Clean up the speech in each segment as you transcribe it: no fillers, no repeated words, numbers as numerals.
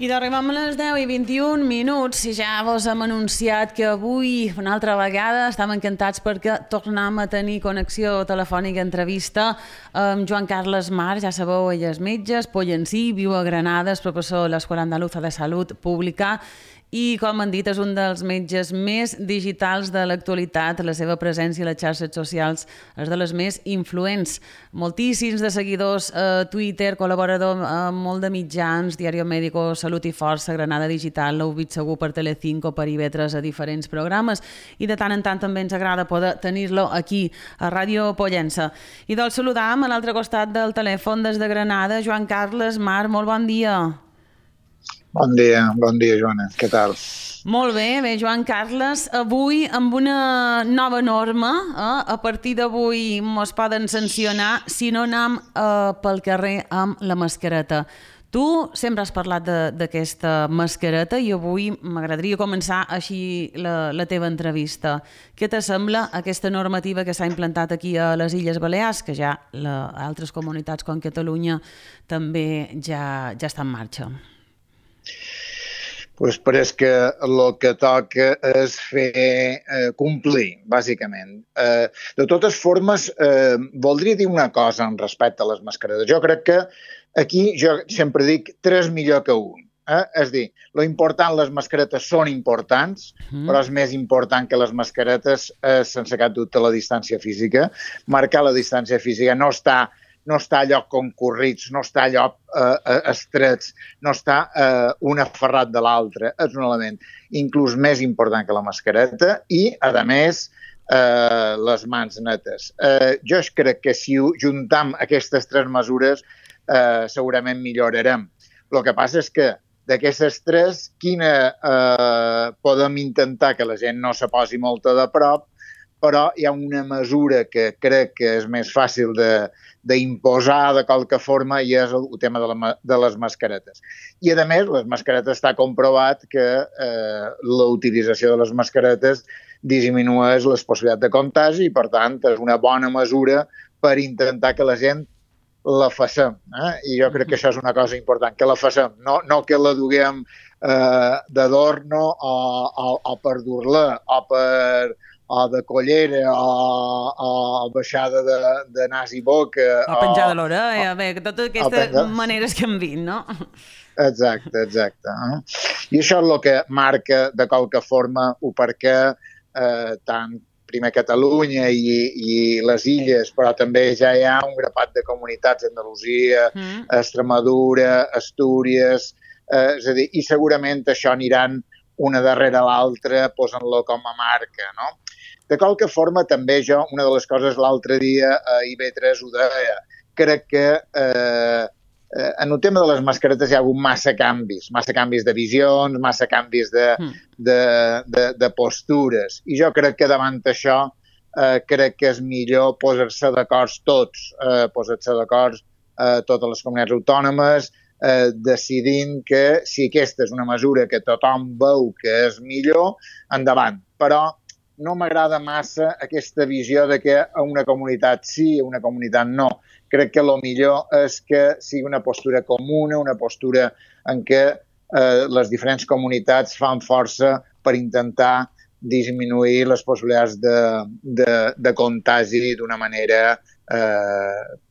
I arribem a les 10:21 i ja vos hem anunciat que avui, una altra vegada, estem encantats perquè tornem a tenir connexió telefònica, entrevista amb Joan Carles Mar, ja sabeu, ell és metge, és pollencí, viu a Granada, és professor a l'Escola Andaluza de Salut Pública i, com han dit, és un dels metges més digitals de l'actualitat. La seva presència a les xarxes socials és de les més influents. Moltíssims de seguidors a Twitter, col·laborador amb molt de mitjans, Diario Médico, Salut i Força, Granada Digital, l'heu vist segur per Telecinco, per IB3, a diferents programes, i de tant en tant també ens agrada poder tenir-lo aquí, a Ràdio Pollença. I doncs saludam a l'altre costat del telèfon des de Granada, Joan Carles Mar, molt bon dia. Bon dia, Joana. Què tal? Molt bé, Joan Carles. Avui, amb una nova norma, a partir d'avui ens poden sancionar si no anem pel carrer amb la mascareta. Tu sempre has parlat d'aquesta mascareta i avui m'agradaria començar així la teva entrevista. Què t'assembla aquesta normativa que s'ha implantat aquí a les Illes Balears, que ja altres comunitats com Catalunya també ja està en marxa? Pues pareix que el que toca és fer complir, bàsicament. De totes formes, voldria dir una cosa en respecte a les mascaretes. Jo crec que aquí, jo sempre dic, 3 millor que 1. És a dir, lo important, les mascaretes són importants, però és més important que les mascaretes, sense cap dubte, la distància física. Marcar la distància física no està allò concorrits, no està allò estrets, no està un aferrat de l'altre. És un element inclús més important que la mascareta i, a més, les mans netes. Jo crec que si juntam aquestes 3 mesures segurament millorarem. El que passa és que d'aquestes 3, quina podem intentar que la gent no se posi molt de prop, però hi ha una mesura que crec que és més fàcil d'imposar de qualque forma i és el tema de les mascaretes. I, a més, les mascaretes està comprovat que la utilització de les mascaretes disminueix les possibilitats de contagi i, per tant, és una bona mesura per intentar que la gent la facem. I jo crec que això és una cosa important, que la facem, no que la duguem d'adorno o per dur-la o de collera, o baixada de nas i boca. O penjar de l'orella, totes aquestes maneres que hem vist, no? Exacte. I això és el que marca, de qualque forma, o perquè tant primer Catalunya i les illes, però també ja hi ha un grapat de comunitats, Andalusia, Extremadura, Astúries, és a dir, i segurament això aniran una darrere l'altra, posant-lo com a marca, no? De qualque forma, també jo, una de les coses l'altre dia a IB3 ho deia, crec que en el tema de les mascaretes hi ha hagut massa canvis de visions, massa canvis de postures. I jo crec que davant això crec que és millor posar-se d'acord tots, posar-se d'acord totes les comunitats autònomes, decidint que si aquesta és una mesura que tothom veu que és millor, endavant. Però no m'agrada massa aquesta visió de que a una comunitat sí, a una comunitat no. Crec que el millor és que sigui una postura comuna, una postura en què les diferents comunitats fan força per intentar disminuir les possibilitats de contagi d'una manera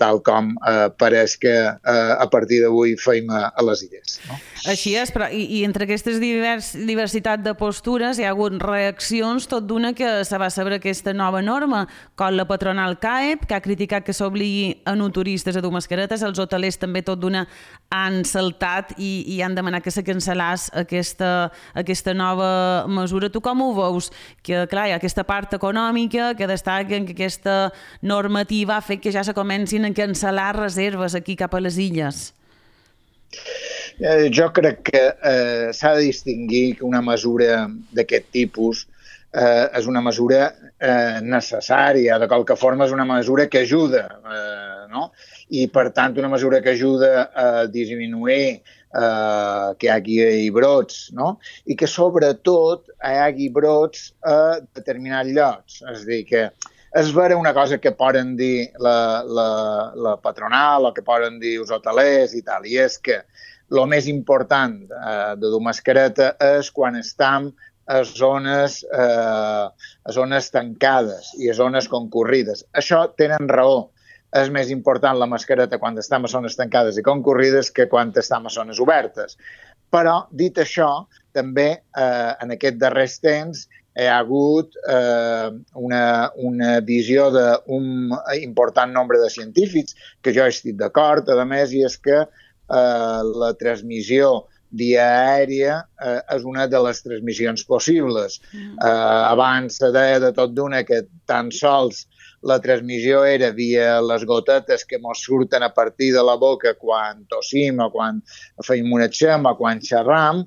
tal com pareix que a partir d'avui feim a les illes. No? Així és, però i entre aquestes diversitat de postures hi ha hagut reaccions tot d'una que se va saber aquesta nova norma, com la patronal CAEP, que ha criticat que s'obligui a no turistes a dur mascaretes, els hotelers també tot d'una han saltat i han demanat que se cancel·lés aquesta nova mesura. Tu com ho veus? Que, clar, hi ha aquesta part econòmica que destaca que aquesta normativa ha fet que ja se comencin a cancel·lar reserves aquí cap a les illes. Jo crec que s'ha de distingir que una mesura d'aquest tipus és una mesura necessària, de qualque forma és una mesura que ajuda, no? I per tant una mesura que ajuda a disminuir que hi hagi brots, no? I que sobretot hi hagi brots a determinats llocs, és a dir, que és vera una cosa que poden dir la patronal o que poden dir els hotelers i tal, i és que el més important de dur mascareta és quan estem a zones tancades i a zones concurrides. Això tenen raó. És més important la mascareta quan estem a zones tancades i concurrides que quan estem a zones obertes. Però, dit això, també en aquests darrers temps hi ha hagut una visió d'un important nombre de científics, que jo estic d'acord, a més, i és que la transmissió via aèria és una de les transmissions possibles. Abans se deia de tot d'una que tan sols la transmissió era via les gotetes que ens surten a partir de la boca quan tossim o quan feim una xema o quan xerram,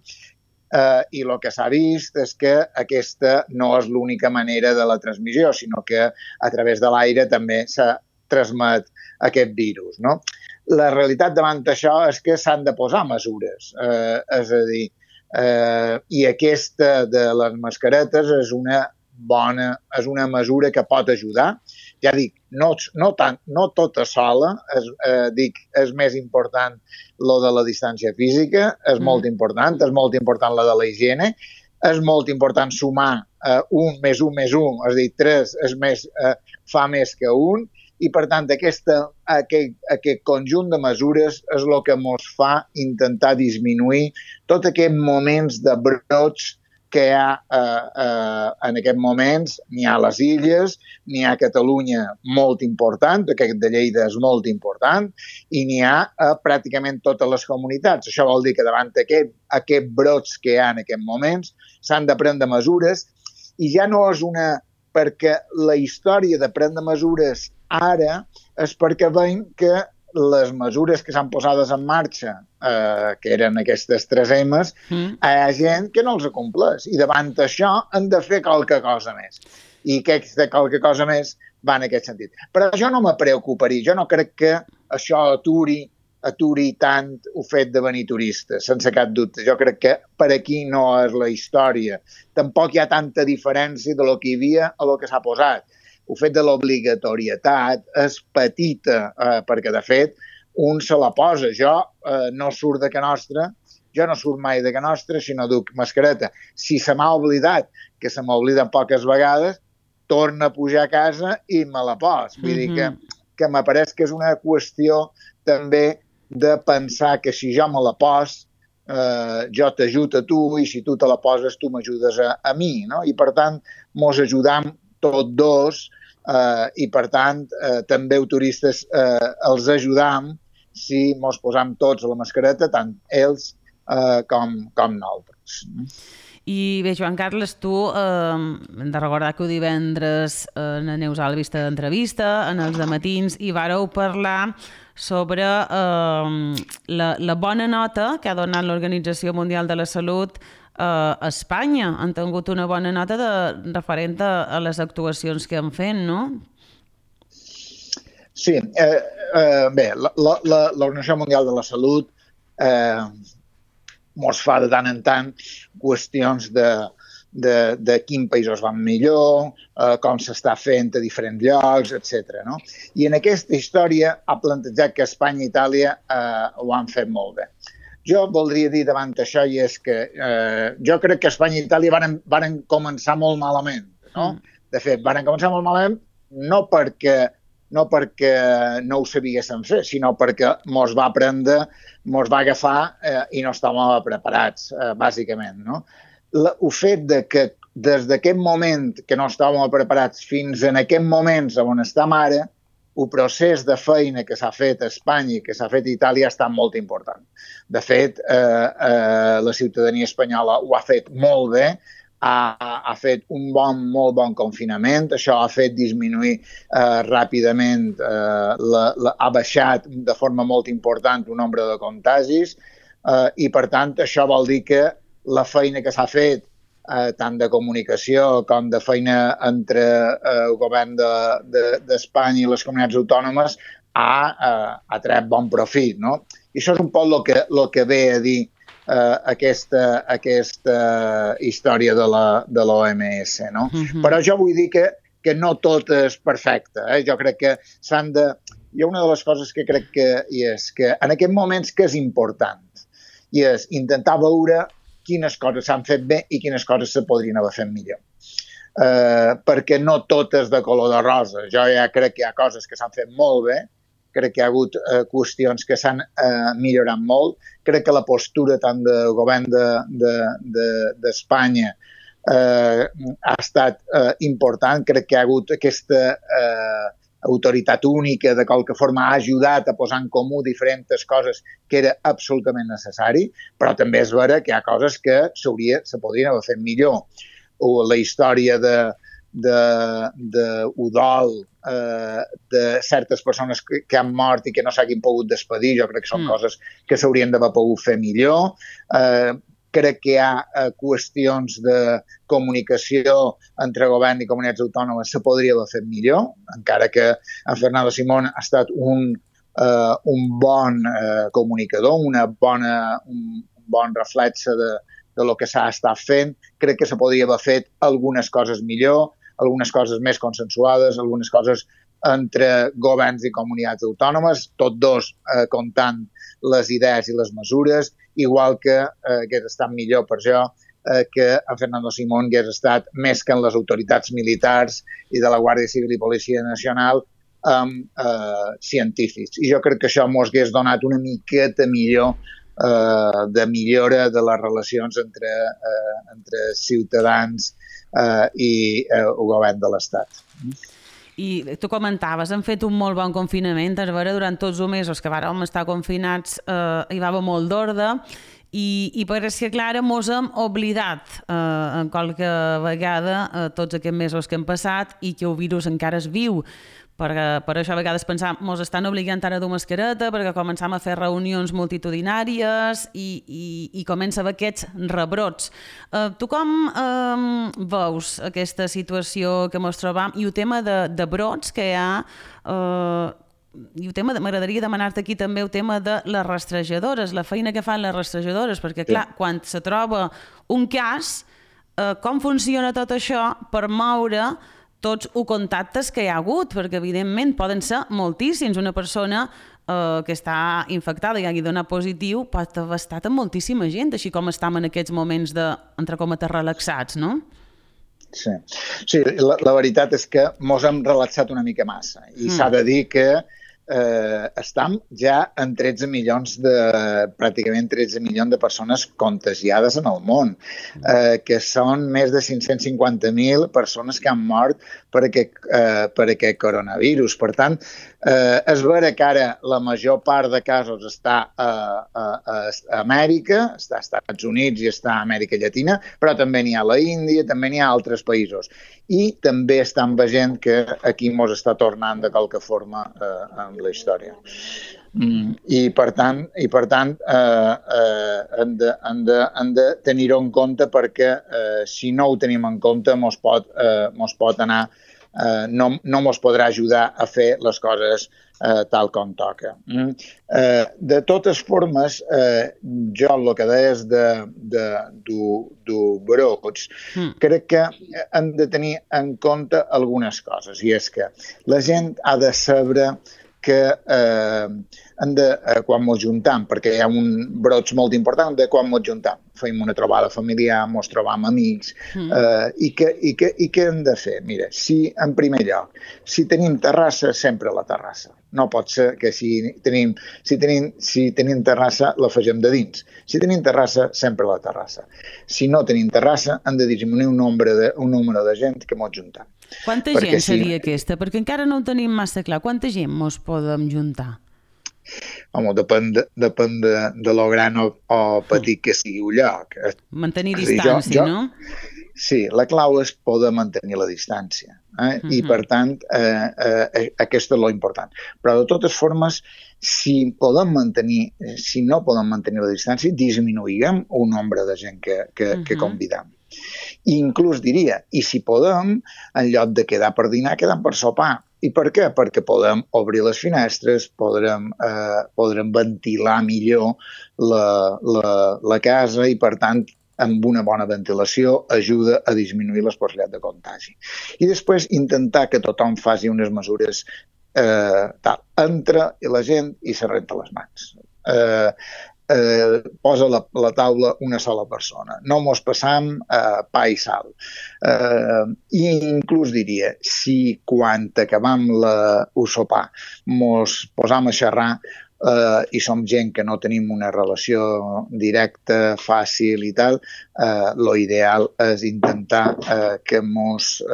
i el que s'ha vist és que aquesta no és l'única manera de la transmissió, sinó que a través de l'aire també se transmet aquest virus, no? La realitat davant d'això és que s'han de posar mesures, és a dir, i aquesta de les mascaretes és una mesura que pot ajudar. Ja dic, no tota sola, és més important lo de la distància física, és molt important la de la higiene, és molt important sumar 1 més 1 més 1, és a dir, 3 fa més que 1, i per tant aquest conjunt de mesures és el que ens fa intentar disminuir tots aquests moments de brots que hi ha en aquests moments. N'hi ha a les illes, n'hi ha a Catalunya molt important, aquest de Lleida és molt important, i n'hi ha a pràcticament totes les comunitats. Això vol dir que davant d'aquests brots que hi ha en aquests moments s'han de prendre mesures, i ja no és perquè la història de prendre mesures ara és perquè veiem que les mesures que s'han posades en marxa, que eren aquestes 3 M's, hi ha gent que no els compleix. I davant d'això hem de fer qualque cosa més. I aquesta qualque cosa més va en aquest sentit. Però jo no me preocuparia. Jo no crec que això aturi tant el fet de venir turistes, sense cap dubte. Jo crec que per aquí no és la història. Tampoc hi ha tanta diferència de lo que hi havia a lo que s'ha posat. El fet de l'obligatorietat és petita, perquè, de fet, un se la posa. Jo no surt de Can Nostra, jo no surt mai de Can Nostra si no duc mascareta. Si se m'ha oblidat, que se m'oblida poques vegades, torno a pujar a casa i me la pos. Vull dir que m'apareix que és una qüestió també de pensar que si jo me la pos, jo t'ajudo a tu, i si tu te la poses, tu m'ajudes a mi, no? I, per tant, mos ajudam tots dos, i per tant també els turistes els ajudam si mos posam tots la mascareta, tant ells com nosaltres. I bé, Joan Carles, tu hem de recordar que divendres en Neus Alba vista d'entrevista, en els dematins, i vàreu parlar sobre la bona nota que ha donat l'Organització Mundial de la Salut a Espanya. Han tingut una bona nota referent a les actuacions que han fet, no? Sí. Bé, l'Organització Mundial de la Salut ens fa de tant en tant qüestions de quins països van millor, com s'està fent a diferents llocs, etc. No? I en aquesta història ha plantejat que Espanya i Itàlia ho han fet molt bé. Jo voldria dir davant d'això, i és que jo crec que Espanya i Itàlia varen començar molt malament. No? De fet, varen començar molt malament no perquè no ho sabíem fer, sinó perquè mos va agafar i no estàvem preparats, bàsicament. No? El fet de que des d'aquest moment que no estàvem preparats fins en aquest moments on estem ara, el procés de feina que s'ha fet a Espanya i que s'ha fet a Itàlia ha estat molt important. De fet, la ciutadania espanyola ho ha fet molt bé, ha fet un molt bon confinament, això ha fet disminuir ràpidament, ha baixat de forma molt important el nombre de contagis, i per tant això vol dir que la feina que s'ha fet, tant de comunicació com de feina entre el govern d'Espanya i les comunitats autònomes, ha tret bon profit. No? I això és un poc el que ve a dir aquesta història de l'OMS. No? Però jo vull dir que no tot és perfecte. Jo crec que s'han de... Hi ha una de les coses que crec que hi és que en aquests moments que és important. i és intentar veure quines coses s'han fet bé i quines coses se podrien haver fet millor. Perquè no tot és de color de rosa. Jo ja crec que hi ha coses que s'han fet molt bé, crec que hi ha hagut qüestions que s'han millorat molt, crec que la postura tant del govern d'Espanya ha estat important, crec que hi ha hagut aquesta autoritat única, de qualque forma ha ajudat a posar en comú diferents coses que era absolutament necessari, però també és vera que hi ha coses que se podrien haver fet millor. O la història d'Udol, de certes persones que han mort i que no s'hagin pogut despedir, jo crec que són coses que s'haurien d'haver pogut fer millor. Crec que hi ha qüestions de comunicació entre govern i comunitats autònomes se podria haver fet millor, encara que en Fernando Simón ha estat un bon comunicador, un bon reflexe de lo que s'ha estat fent. Crec que se podria haver fet algunes coses millor, algunes coses més consensuades, algunes coses entre governs i comunitats autònomes, tots dos comptant les idees i les mesures, igual que hagués estat millor per jo que en Fernando Simón hagués estat més que en les autoritats militars i de la Guàrdia Civil i Policia Nacional amb científics. I jo crec que això ens hagués donat una miqueta millor de millora de les relacions entre ciutadans i el govern de l'Estat. I tu comentaves, hem fet un molt bon confinament, és vera, durant tots els mesos que vàrem estar confinats hi va haver molt d'ordre i pareix que, clar, mos hem oblidat en qualque vegada tots aquests mesos que hem passat i que el virus encara és viu. Per això a vegades pensam, mos estan obligant ara a dur mascareta perquè començam a fer reunions multitudinàries i comença a haver aquests rebrots. Tu com veus aquesta situació que mos trobam i el tema de brots que hi ha i el tema m'agradaria demanar-te aquí també el tema de les rastrejadores, la feina que fan les rastrejadores, perquè clar, quan se troba un cas, com funciona tot això per moure tots els contactes que hi ha hagut, perquè evidentment poden ser moltíssims. Una persona que està infectada i hagi donat positiu pot haver estat amb moltíssima gent, així com estem en aquests moments de, entre cometes, relaxats, no? Sí, la veritat és que mos hem relaxat una mica massa i s'ha de dir que estem ja en 13 milions pràcticament 13 milions de persones contagiades en el món, que són més de 550.000 persones que han mort per aquest coronavirus. Per tant, és vera que ara la major part de casos està a Amèrica, està als Estats Units i està a Amèrica Llatina, però també n'hi ha a la Índia, també n'hi ha a altres països. I també estan veient que aquí mos està tornant de qualque forma amb la història. I per tant hem de tenir-ho en compte perquè si no ho tenim en compte mos pot anar, no mos podrà ajudar a fer les coses tal com toca. De totes formes, jo el que deies du brots, crec que hem de tenir en compte algunes coses, i és que la gent ha de saber que quan ens juntem, perquè hi ha un brots molt important de quan ens juntem. Fem una trobada familiar, ens trobam amics, i què hem de fer? Mira, en primer lloc, si tenim terrassa, sempre a la terrassa. No pot ser que si tenim terrassa, la fegem de dins. Si tenim terrassa, sempre a la terrassa. Si no tenim terrassa, hem de disminuir un nombre de gent que ens juntem. Quanta gent seria aquesta? Perquè encara no ho tenim massa clar. Quanta gent ens podem juntar? Home, depèn de lo gran o petit que sigui un lloc. Mantenir distància, no? Sí, la clau és poder mantenir la distància. I, per tant, aquest és l'important. Però, de totes formes, si no podem mantenir la distància, disminuïm un nombre de gent que convidem. I inclús diria, i si podem, en lloc de quedar per dinar, quedem per sopar. I per què? Perquè podem obrir les finestres, podrem ventilar millor la casa i, per tant, amb una bona ventilació ajuda a disminuir les possibilitats de contagi. I després intentar que tothom faci unes mesures entra la gent i se renta les mans. posa la taula una sola persona. No mos passam pa i sal. I inclús diria, si quan acabam el sopar mos posam a xerrar i som gent que no tenim una relació directa, fàcil i tal, lo ideal és intentar que mos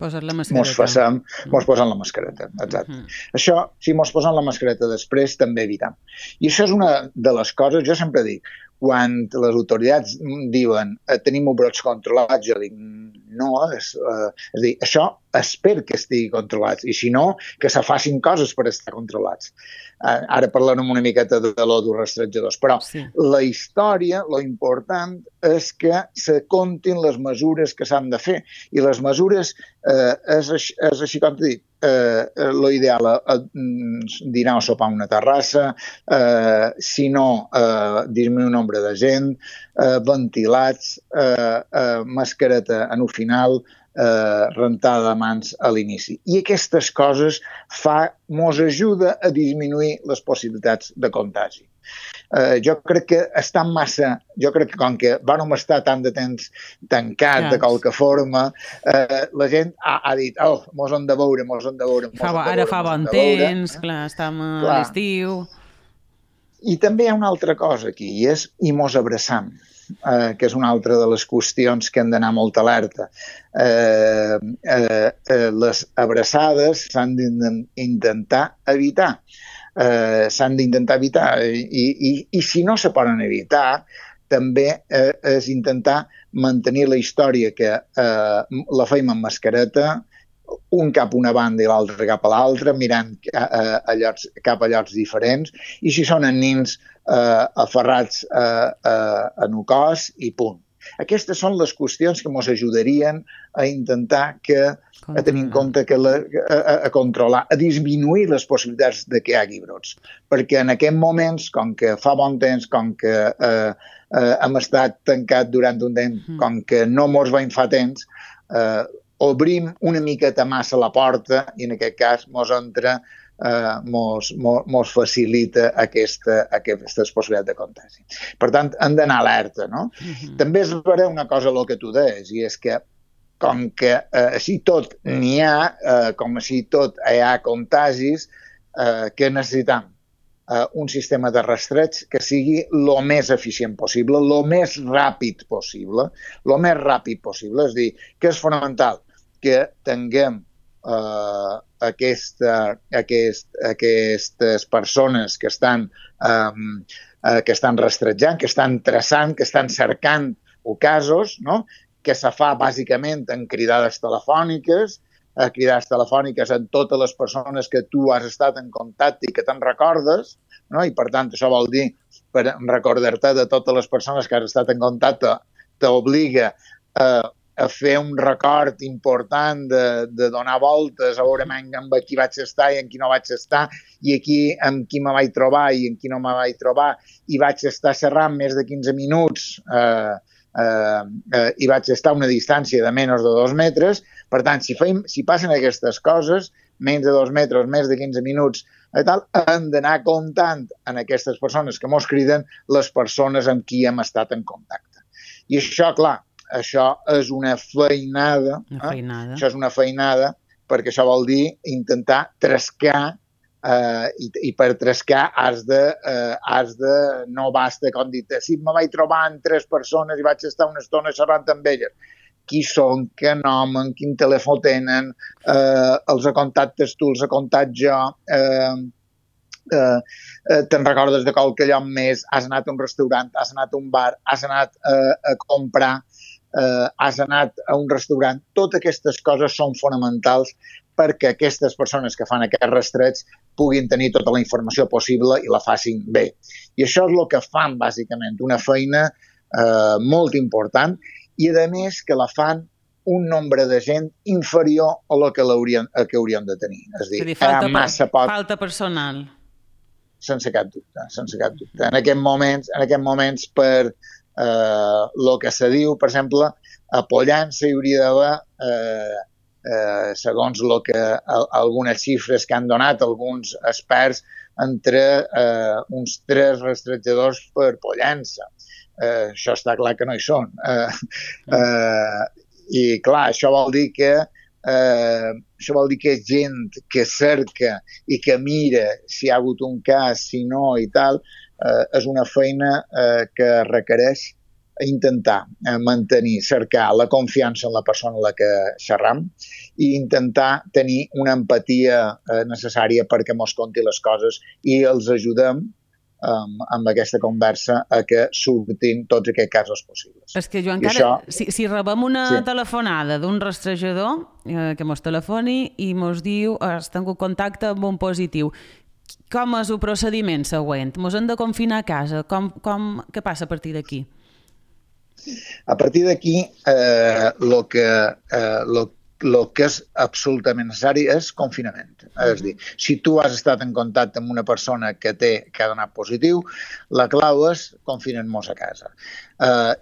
Posar la mascareta. Mos posem la mascareta, exacte. Això, si mos posem la mascareta després, també evitam. I això és una de les coses, jo sempre dic, quan les autoritats diuen tenim brots controlats, jo dic no, és a dir, això espero que estigui controlats, i si no, que se facin coses per estar controlats. Ara parlarem una miqueta de l'autorastretjadors, però la història, lo important és que se comptin les mesures que s'han de fer, i les mesures és així com t'he dit, l'ideal dinar o sopar a una terrassa, si no, disminuir el nombre de gent, ventilats, mascareta en el final, rentada de mans a l'inici. I aquestes coses mos ajuda a disminuir les possibilitats de contagi. Jo crec que com que vam estar tant de temps tancat de qualque forma, la gent ha dit, mos hem de veure. Ara fa bon temps, clar, estem a l'estiu. I també hi ha una altra cosa aquí, i mos abraçam, que és una altra de les qüestions que hem d'anar molt alerta. Les abraçades s'han d'intentar evitar. I si no se poden evitar, també és intentar mantenir la història que la feim amb mascareta, un cap a una banda i l'altre cap a l'altra, mirant cap a llocs diferents, i si són nins aferrats en el cos i punt. Aquestes són les qüestions que ens ajudarien a intentar a tenir en compte a controlar, a disminuir les possibilitats de que hi hagi brots. Perquè en aquests moments, com que fa bon temps, com que hem estat tancat durant un temps, com que no mos veiem fa temps, obrim una miqueta massa la porta i en aquest cas mos facilita aquestes possibilitats de contagi. Per tant, hem d'anar alerta, no? També és vera una cosa el que tu deies, i és que com que així tot n'hi ha, com així tot hi ha contagis, que necessitam un sistema de rastreig que sigui el més eficient possible, el més ràpid possible. És a dir, que és fonamental que tinguem aquestes persones que estan rastrejant, que estan traçant, que estan cercant casos, no? Que se fa bàsicament en cridades telefòniques en totes les persones que tu has estat en contacte i que te'n recordes, no? I per tant això vol dir, per recordar-te de totes les persones que has estat en contacte, t'obliga a fer un record important de donar voltes, a veure amb qui vaig estar i amb qui no vaig estar, i aquí amb qui me vaig trobar i amb qui no me vaig trobar, i vaig estar xerrant més de 15 minuts i vaig estar a una distància de menys de 2 metres. Per tant, si passen aquestes coses, menys de 2 metres, més de 15 minuts, hem d'anar comptant en aquestes persones que mos criden les persones amb qui hem estat en contacte. I això, clar, això és una feinada. Això és una feinada perquè això vol dir intentar trascar i per trascar has de no basta com dir, si me vaig trobar amb 3 persones i vaig estar una estona xerrant amb elles, qui són, què nom, quin telèfon tenen, els contactes tu, els contactes jo, te'n recordes de qualque lloc més, has anat a un restaurant, has anat a un bar, has anat a comprar, has anat a un restaurant. Totes aquestes coses són fonamentals perquè aquestes persones que fan aquest rastreig puguin tenir tota la informació possible i la facin bé. I això és el que fan, bàsicament, una feina molt important i, a més, que la fan un nombre de gent inferior a la que haurien de tenir. És a dir, falta personal. Sense cap dubte, sense cap dubte. En aquests moments per el que se diu, per exemple, a Pollença hi hauria d'haver segons algunes xifres que han donat alguns experts, entre uns 3 rastrejadors per pollença. Això està clar que no hi són. I clar, això vol dir que és gent que cerca i que mira si hi ha hagut un cas, si no i tal. És una feina que requereix intentar mantenir, cercar la confiança en la persona amb la que xerram i intentar tenir una empatia necessària perquè mos conti les coses i els ajudem amb aquesta conversa a que surtin tots aquests casos possibles. És que, Joan Carles, si rebem una telefonada d'un rastrejador que mos telefoni i mos diu has tingut contacte amb un positiu, com és el procediment següent? Mos hem de confinar a casa? Què passa a partir d'aquí? A partir d'aquí, el que és absolutament necessari és confinament. És a dir, si tu has estat en contacte amb una persona que ha donat positiu, la clau és confinem-nos a casa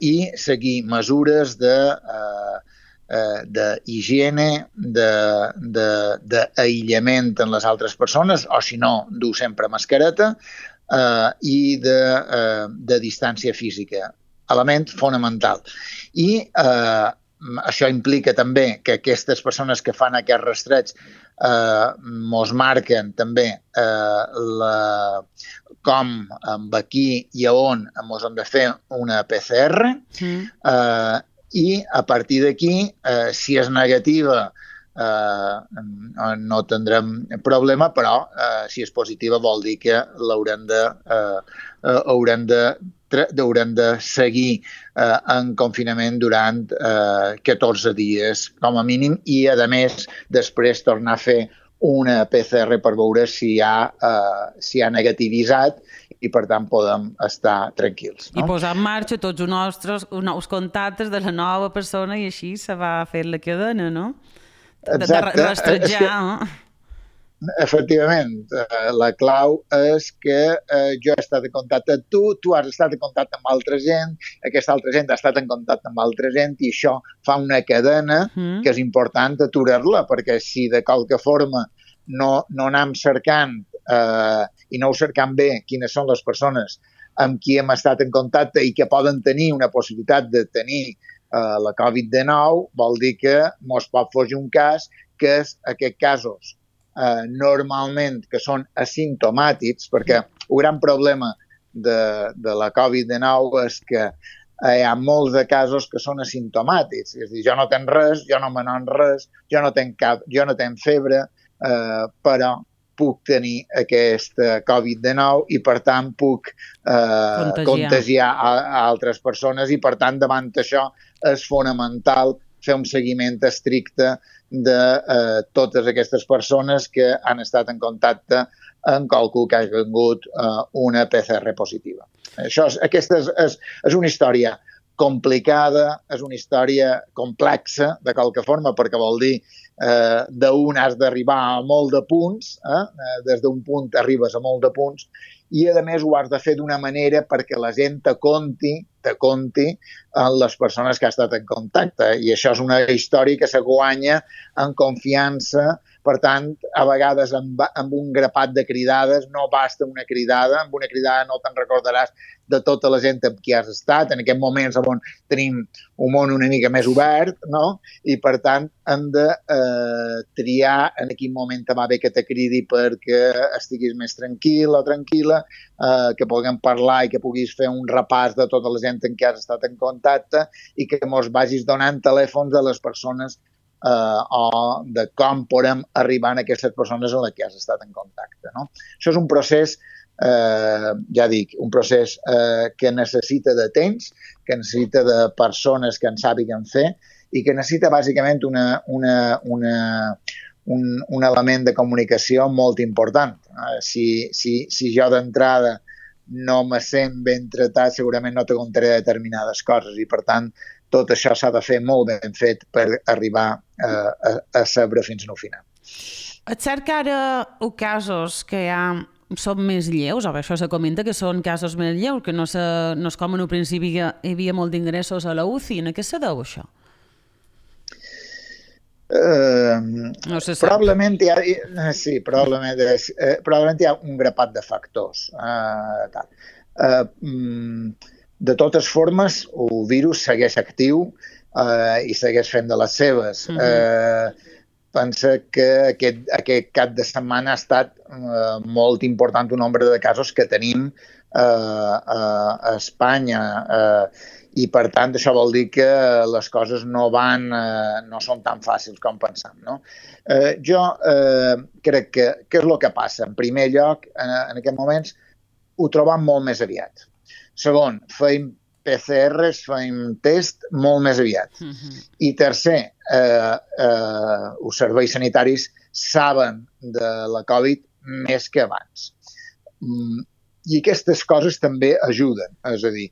i seguir mesures d'higiene, d'aïllament en les altres persones, o si no, dur sempre mascareta, i de distància física. Element fonamental. I això implica també que aquestes persones que fan aquest rastreig mos marquen també com, amb qui i a on mos hem de fer una PCR i a partir d'aquí, si és negativa, no tindrem problema, però si és positiva vol dir que haurem de seguir en confinament durant 14 dies com a mínim i, a més, després tornar a fer una PCR per veure si ha negativitzat i, per tant, podem estar tranquils. I posar en marxa tots els nostres nous contactes de la nova persona i així se va fer la cadena, no? Exacte. De rastrejar. Efectivament, la clau és que jo he estat en contacte amb tu has estat en contacte amb altra gent, aquesta altra gent ha estat en contacte amb altra gent i això fa una cadena que és important aturar-la, perquè si de qualque forma no anem cercant i no ho cercant bé quines són les persones amb qui hem estat en contacte i que poden tenir una possibilitat de tenir la Covid-19, vol dir que mos pot fugir un cas que és aquests casos normalment que són asimptomàtics, perquè el gran problema de la Covid-19 és que hi ha molts de casos que són asimptomàtics. És a dir, jo no tenc res, jo no me n'en res, jo no tenc febre, però puc tenir aquesta Covid-19 i, per tant, puc contagiar a altres persones i, per tant, davant això és fonamental fer un seguiment estricte de totes aquestes persones que han estat en contacte amb qualcú que hagi tingut una PCR positiva. Aquesta és una història complicada, és una història complexa, de qualque forma, perquè vol dir d'un has d'arribar a molt de punts, des d'un punt arribes a molt de punts, i a més ho has de fer d'una manera perquè la gent te conti en les persones que ha estat en contacte, i això és una història que se guanya en confiança. Per tant, a vegades amb un grapat de cridades no basta una cridada, amb una cridada no te'n recordaràs de tota la gent amb qui has estat, en aquest moments on tenim un món una mica més obert, no? I per tant hem de triar en quin moment te va bé que te cridi perquè estiguis més tranquil o tranquil·la, que puguem parlar i que puguis fer un repàs de tota la gent amb qui has estat en contacte i que mos vagis donant telèfons de les persones o de com podem arribar a aquestes persones amb les que has estat en contacte, no? Això és un procés, ja dic, un procés que necessita de temps, que necessita de persones que en sàpiguen fer i que necessita bàsicament un element de comunicació molt important. Si jo d'entrada no me sent ben tratat, segurament no te contaré determinades coses i, per tant, tot això s'ha de fer molt ben fet per arribar a saber fins al final. És cert que ara els casos que hi ha són més lleus, o bé, això se comenta que són casos més lleus, que no és com en un principi hi havia molt d'ingressos a la UCI. En què se deu això? No se sap. Probablement hi ha, sí, probablement hi ha un grapat de factors. De totes formes, el virus segueix actiu i segueix fent de les seves. Pensa que aquest cap de setmana ha estat molt important un nombre de casos que tenim a Espanya i, per tant, això vol dir que les coses no són tan fàcils com pensam. No? Jo crec que què és el que passa? En primer lloc, en aquests moments, ho trobam molt més aviat. Segon, feim PCRs, feim test molt més aviat. I tercer, els serveis sanitaris saben de la Covid més que abans. I aquestes coses també ajuden. És a dir,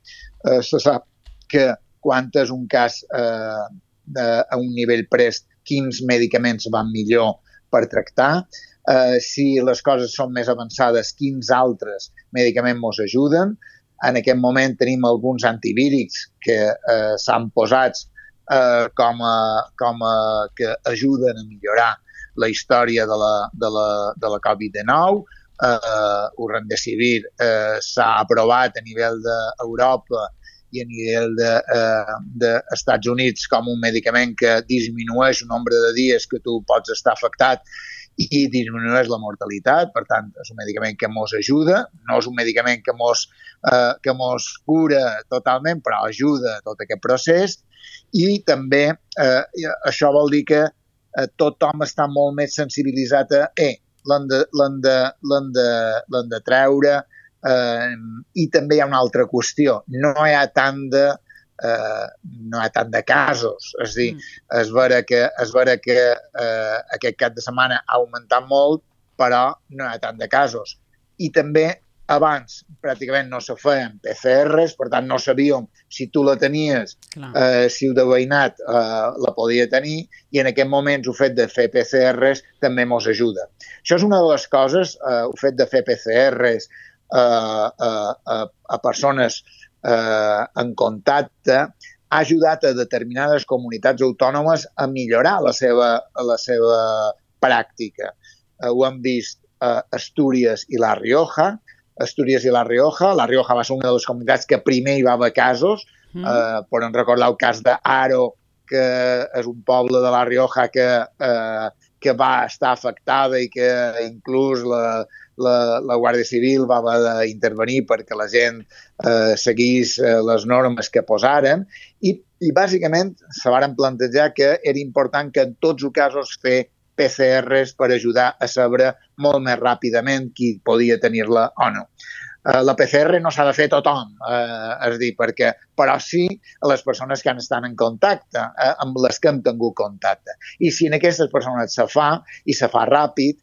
se sap que quan és un cas a un nivell prest, quins medicaments van millor per tractar, si les coses són més avançades, quins altres medicaments ens ajuden. En aquest moment tenim alguns antivírics que s'han posats com que ajuden a millorar la història de la Covid-19. El Remdesivir s'ha aprovat a nivell d'Europa i a nivell dels Estats Units com un medicament que disminueix el nombre de dies que tu pots estar afectat i disminueix la mortalitat. Per tant, és un medicament que ens ajuda, no és un medicament que ens cura totalment, però ajuda a tot aquest procés. I també això vol dir que tothom està molt més sensibilitzat a l'hem de treure. I també hi ha una altra qüestió. No hi ha tant de casos. És a dir, és vera que aquest cap de setmana ha augmentat molt, però no hi ha tant de casos. I també abans pràcticament no se feien PCRs, per tant no sabíem si tu la tenies, si el de veïnat la podia tenir, i en aquest moment el fet de fer PCRs també ens ajuda. Això és una de les coses, el fet de fer PCRs a persones en contacte ha ajudat a determinades comunitats autònomes a millorar la seva pràctica. Ho hem vist a Astúries i La Rioja. La Rioja va ser una de les comunitats que primer hi va haver casos. Podem recordar el cas d'Aro, que és un poble de La Rioja que va estar afectada i que inclús la Guàrdia Civil va haver d'intervenir perquè la gent seguís les normes que posaren i bàsicament se varen plantejar que era important que en tots els casos fer PCRs per ajudar a saber molt més ràpidament qui podia tenir-la o no. La PCR no s'ha de fer a tothom, és a dir, però sí a les persones que han estat en contacte, amb les que hem tingut contacte. I si en aquestes persones se fa, i se fa ràpid,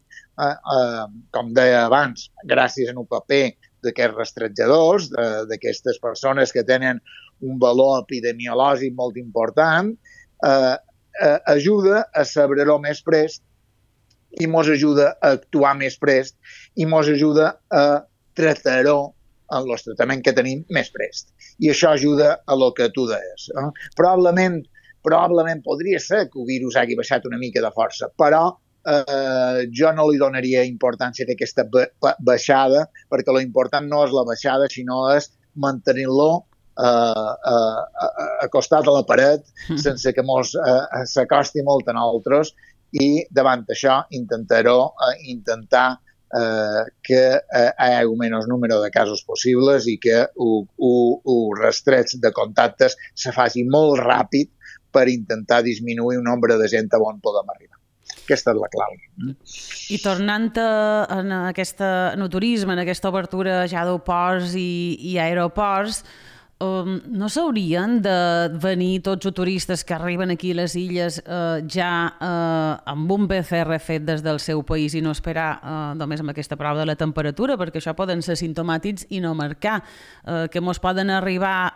com deia abans, gràcies a un paper d'aquests rastrejadors, d'aquestes persones que tenen un valor epidemiològic molt important, ajuda a saber-ho més prest i ens ajuda a actuar més prest i ens ajuda a tractar-ho en el tractament que tenim més prest. I això ajuda a lo que tu deies. Probablement podria ser que el virus hagi baixat una mica de força, però jo no li donaria importància a aquesta baixada, perquè l'important no és la baixada, sinó és mantenir-lo acostat a la paret sense que s'acosti molt a nosaltres i davant això intentar que hi hagi el menys número de casos possibles i que el rastreig de contactes se faci molt ràpid per intentar disminuir el nombre de gent a on podem arribar. Aquesta és la clau. I tornant en turisme, en aquesta obertura ja d'aeroports i aeroports, no s'haurien de venir tots els turistes que arriben aquí a les illes ja amb un PCR fet des del seu país i no esperar només amb aquesta prova de la temperatura, perquè això poden ser simptomàtics i no marcar, que mos poden arribar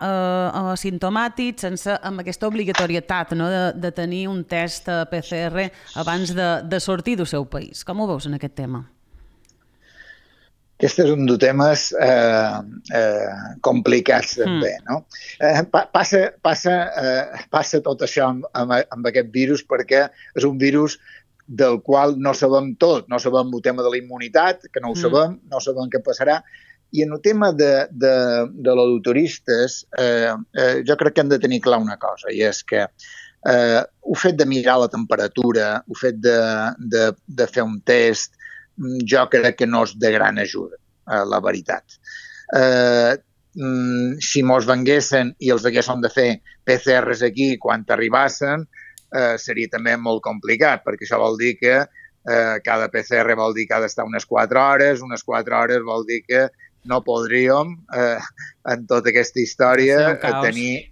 simptomàtics amb aquesta obligatorietat de tenir un test PCR abans de sortir del seu país. Com ho veus en aquest tema? Aquest és un dels temes complicats també, no? Passa tot això amb aquest virus perquè és un virus del qual no sabem tot. No sabem el tema de la immunitat, que no ho sabem, no sabem què passarà. I en el tema de l'odoturistes, jo crec que hem de tenir clar una cosa, i és que el fet de mirar la temperatura, el fet de fer un test, jo crec que no és de gran ajuda, la veritat. Si mos venguessin i els haguessin de fer PCRs aquí quan arribassen, seria també molt complicat, perquè això vol dir que cada PCR vol dir que ha d'estar unes 4 hores, unes 4 hores vol dir que no podríem, en tota aquesta història, tenir...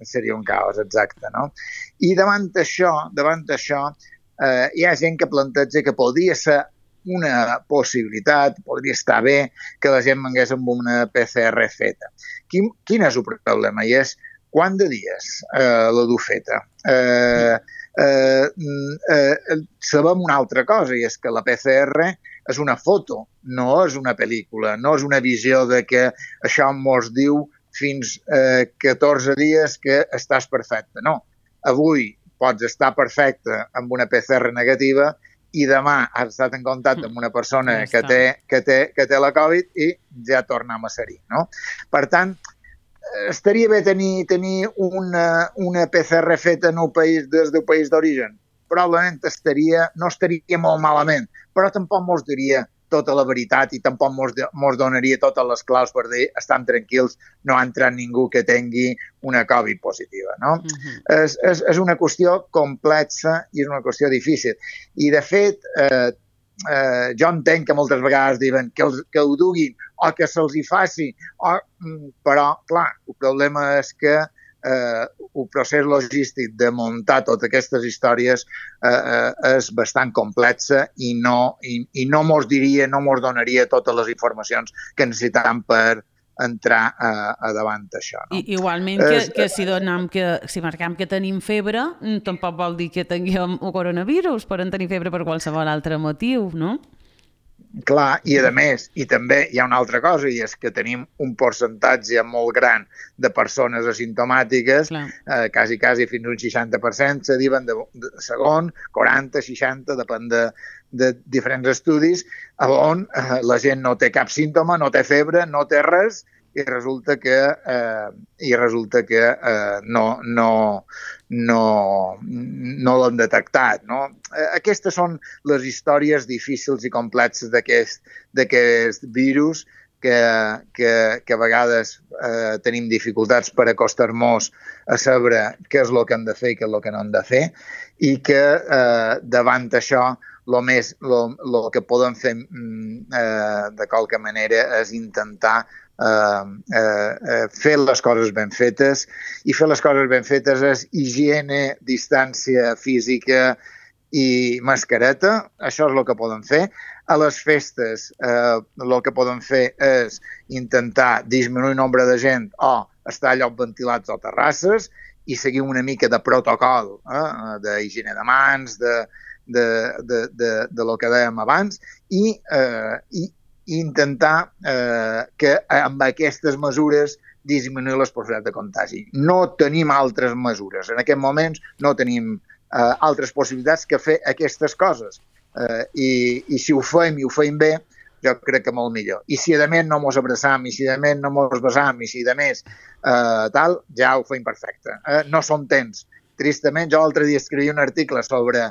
Seria un caos, exacte, no? I davant això, hi ha gent que planteja que podria ser una possibilitat, podria estar bé que la gent vengués amb una PCR feta. Quin és el problema? I és quant de dies la dur feta? Sabem una altra cosa, i és que la PCR és una foto, no és una pel·lícula, no és una visió de que això mos diu fins 14 dies que estàs perfecte. No, avui pots estar perfecte amb una PCR negativa i demà has estat en contacte amb una persona que té la Covid i ja tornem a ser-hi, no? Per tant, estaria bé tenir una PCR feta en el país, des del país d'origen. Probablement no estaria molt malament, però tampoc mos diria tota la veritat i tampoc mos donaria totes les claus per dir estan tranquils, no ha entrat ningú que tingui una Covid positiva, no? És una qüestió complexa i és una qüestió difícil. I, de fet, jo entenc que moltes vegades diuen que ho duguin o que se'ls hi faci, però, clar, el problema és que el procés logístic de muntar totes aquestes històries és bastant complexa i no mos donaria totes les informacions que necessitam per entrar a davant d'això. No? Igualment que si marquem que tenim febre, tampoc vol dir que tinguem un coronavirus, poden tenir febre per qualsevol altre motiu, no? Clar, i a més, i també hi ha una altra cosa, i és que tenim un percentatge molt gran de persones asimptomàtiques, quasi fins a un 60%, se diuen de segon, 40, 60, depèn de diferents estudis, on la gent no té cap símptoma, no té febre, no té res, i resulta que no l'han detectat. No? Aquestes són les històries difícils i complexes d'aquest virus que a vegades tenim dificultats per acostar-nos a saber què és el que hem de fer i què és el que no hem de fer, i que davant això el que podem fer de qualque manera és intentar fer les coses ben fetes, i fer les coses ben fetes és higiene, distància física i mascareta. Això és el que podem fer. A les festes el que podem fer és intentar disminuir el nombre de gent o estar a llocs ventilats o terrasses i seguir una mica de protocol d'higiene de mans, de lo que dèiem abans, i intentar que amb aquestes mesures disminuir les possibilitats de contagi. No tenim altres mesures. En aquests moments no tenim altres possibilitats que fer aquestes coses. I si ho fem i ho fem bé, jo crec que molt millor. I si a més no mos abraçam, i si a més no mos besam, i si a més tal, ja ho fem perfecte. No són temps. Tristament, jo l'altre dia escrivia un article sobre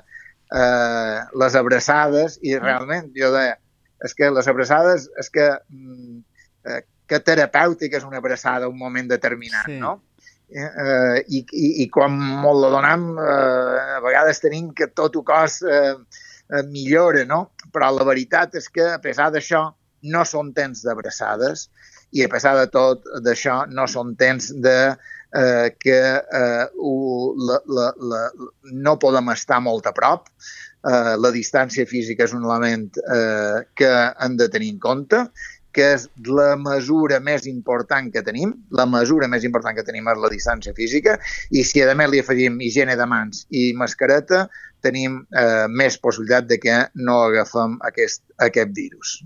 les abraçades i realment jo deia és que les abraçades, que terapèutic és una abraçada un moment determinat, sí. No? I quan molt la donem, a vegades tenim que tot el cos millora, no? Però la veritat és que, a pesar d'això, no són temps d'abraçades i, a pesar de tot d'això, no són temps que no podem estar molt a prop. La distància física és un element que hem de tenir en compte, que és la mesura més important que tenim. La mesura més important que tenim és la distància física, i si a més li afegim higiene de mans i mascareta, tenim més possibilitat de que no agafem aquest virus.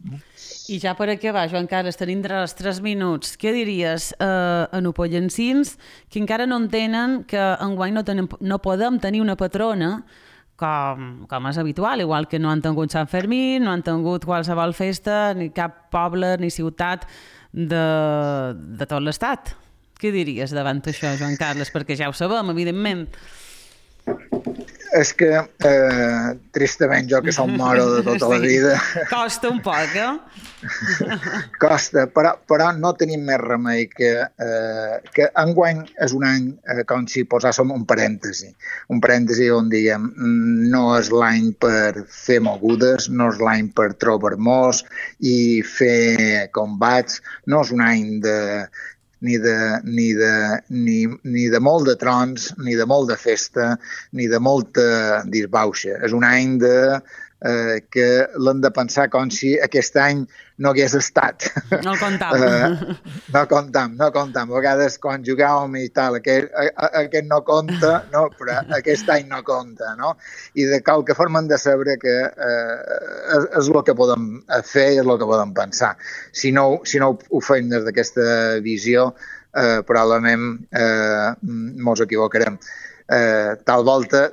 I ja per acabar, Joan Carles, tenim els 3 minuts. Què diries a nupollencins que encara no entenen que enguany no podem tenir una patrona com és habitual, igual que no han tingut Sant Fermí, no han tingut qualsevol festa, ni cap poble ni ciutat de tot l'estat. Què diries davant això, Joan Carles? Perquè ja ho sabem, evidentment. És que, tristament, jo que som moro de tota la vida... Costa un poc, eh? Costa, però no tenim més remei que enguany és un any com si posàssim un parèntesi on diguem no és l'any per fer mogudes, no és l'any per trobar-nos i fer combats, no és un any ni de molt de trons, ni de molt de festa, ni de molta disbauxa. És un any que l'hem de pensar com si aquest any no hagués estat. No el comptam. No comptam. A vegades quan jugàvem i tal, aquest no compta, no, però aquest any no compta, no? I de qualque forma hem de saber que és el que podem fer i és el que podem pensar. Si no ho fem des d'aquesta visió, probablement ens equivocarem. Tal volta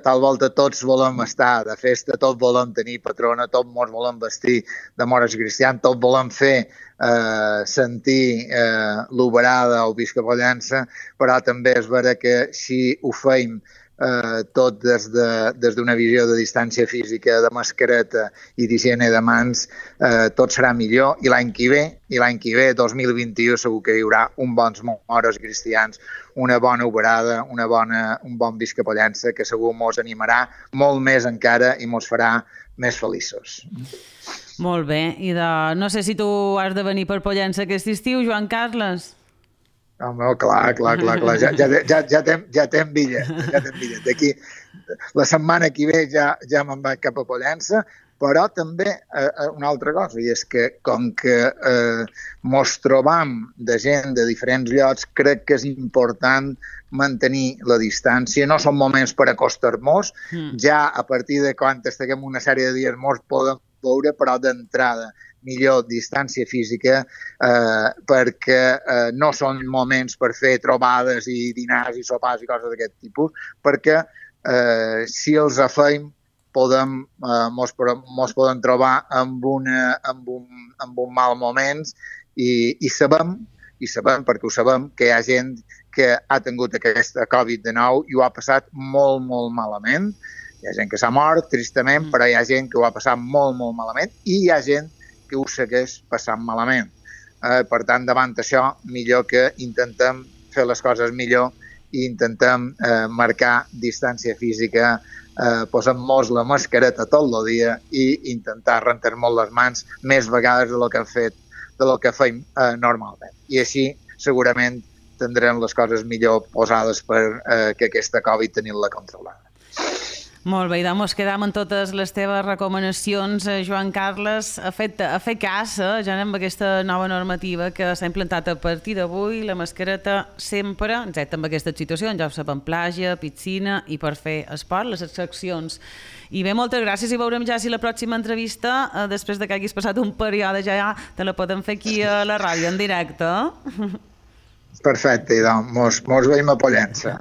tots volem estar de festa, tots volem tenir patrona, tots ens volem vestir de mores cristians, tots volem fer sentir l'oberada o visca-pollença, però també és vera que si ho fem tot des d'una visió de distància física, de mascareta i d'higiene de mans, tot serà millor. I l'any que ve, 2021, segur que hi haurà un bons moros cristians, una bona oberada, un bon visca-pollença, que segur mos animarà molt més encara i mos farà més feliços. Molt bé. I no sé si tu has de venir per Pollença aquest estiu, Joan Carles? Home, clar. Ja tem bitllet. D'aquí, la setmana que ve ja me'n vaig cap a Pollença, però també una altra cosa, i és que com que mos trobam de gent de diferents llocs, crec que és important mantenir la distància. No són moments per acostar-nos, ja a partir de quan estiguem una sèrie de dies mos podem veure, però d'entrada millor distància física perquè no són moments per fer trobades i dinars i sopars i coses d'aquest tipus, perquè si els fem mos podem trobar amb un mal moment i sabem, perquè ho sabem, que hi ha gent que ha tingut aquesta Covid-19 i ho ha passat molt, molt malament. Hi ha gent que s'ha mort, tristament, però hi ha gent que ho ha passat molt, molt malament i hi ha gent que ho segueix passant malament. Per tant, davant això, millor que intentem fer les coses millor i intentem marcar distància física, posem-nos la mascareta tot el dia i intentar rentar-nos les mans més vegades del que fem normalment. I així, segurament, tindrem les coses millor posades per que aquesta Covid tenir-la controlada. Molt bé, i doncs quedam en totes les teves recomanacions, Joan Carles, a fer cas ja amb aquesta nova normativa que s'ha implantat a partir d'avui, la mascareta sempre, excepte amb aquestes situacions, ja ho sabem, platja, piscina i per fer esport, les excepcions. I bé, moltes gràcies i veurem ja si la pròxima entrevista, després de que haguis passat un període ja, te la podem fer aquí a la ràdio en directe. Perfecte, doncs mos veiem a Pollença.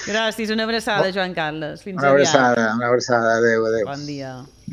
Gràcies, una abraçada, Joan Carles. Fins aviat. Una abraçada, adéu. Bon dia.